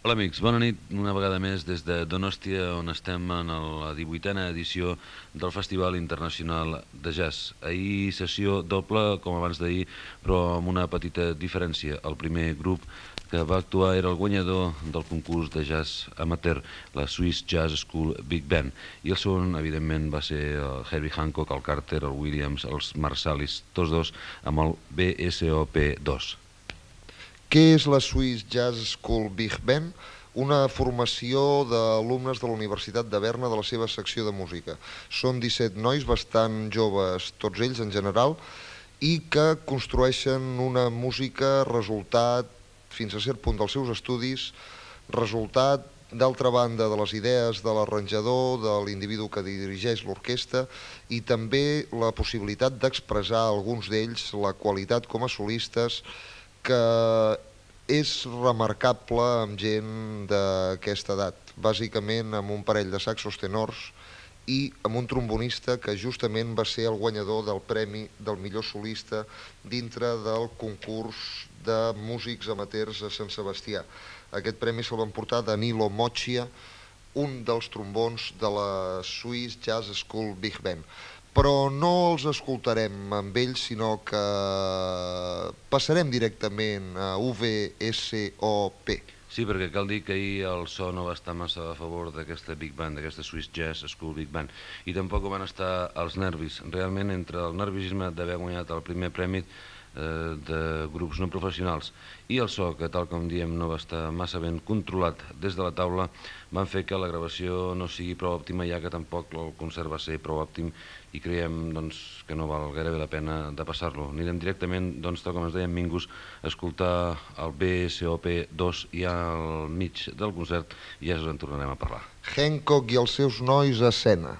Hola amics, bona nit una vegada més des de Donòstia, on estem en la 18a edició del Festival Internacional de Jazz. Ahir sessió doble, com abans d'ahir, però amb una petita diferència. El primer grup que va actuar era el guanyador del concurs de jazz amateur, la Swiss Jazz School Big Band, i el segon, evidentment, va ser el Herbie Hancock, el Carter, el Williams, els Marsalis, tots dos amb el BSOP2. Què és la Swiss Jazz School Big Band? Una formació d'alumnes de la Universitat de Berna de la seva secció de música. Són 17 nois bastant joves, tots ells en general, i que construeixen una música resultat, fins a cert punt dels seus estudis, resultat, d'altra banda, de les idees de l'arranjador, de l'individu que dirigeix l'orquestra, i també la possibilitat d'expressar alguns d'ells la qualitat com a solistes, que és remarcable amb gent d'aquesta edat, bàsicament amb un parell de saxos tenors i amb un trombonista que justament va ser el guanyador del premi del millor solista dintre del concurs de músics amateurs a Sant Sebastià. Aquest premi se'l va emportar Danilo Moccia, un dels trombons de la Swiss Jazz School Big Band. Però no els escoltarem amb ells, sinó que passarem directament a VSOP. Sí, perquè cal dir que ahir el so no va estar massa a favor d'aquesta Big Band, d'aquesta Swiss Jazz School Big Band, i tampoc van estar els nervis. Realment, entre el nerviosisme d'haver guanyat el primer premi de grups no professionals i el so, que tal com diem no va estar massa ben controlat des de la taula, van fer que la gravació no sigui prou òptima, ja que tampoc el concert va ser prou òptim i creiem doncs, que no val gairebé la pena de passar-lo. Anirem directament, doncs, tal com ens deien Mingus, a escoltar el BSOP2 ja al mig del concert i ja us en tornarem a parlar. Hancock i els seus nois a escena.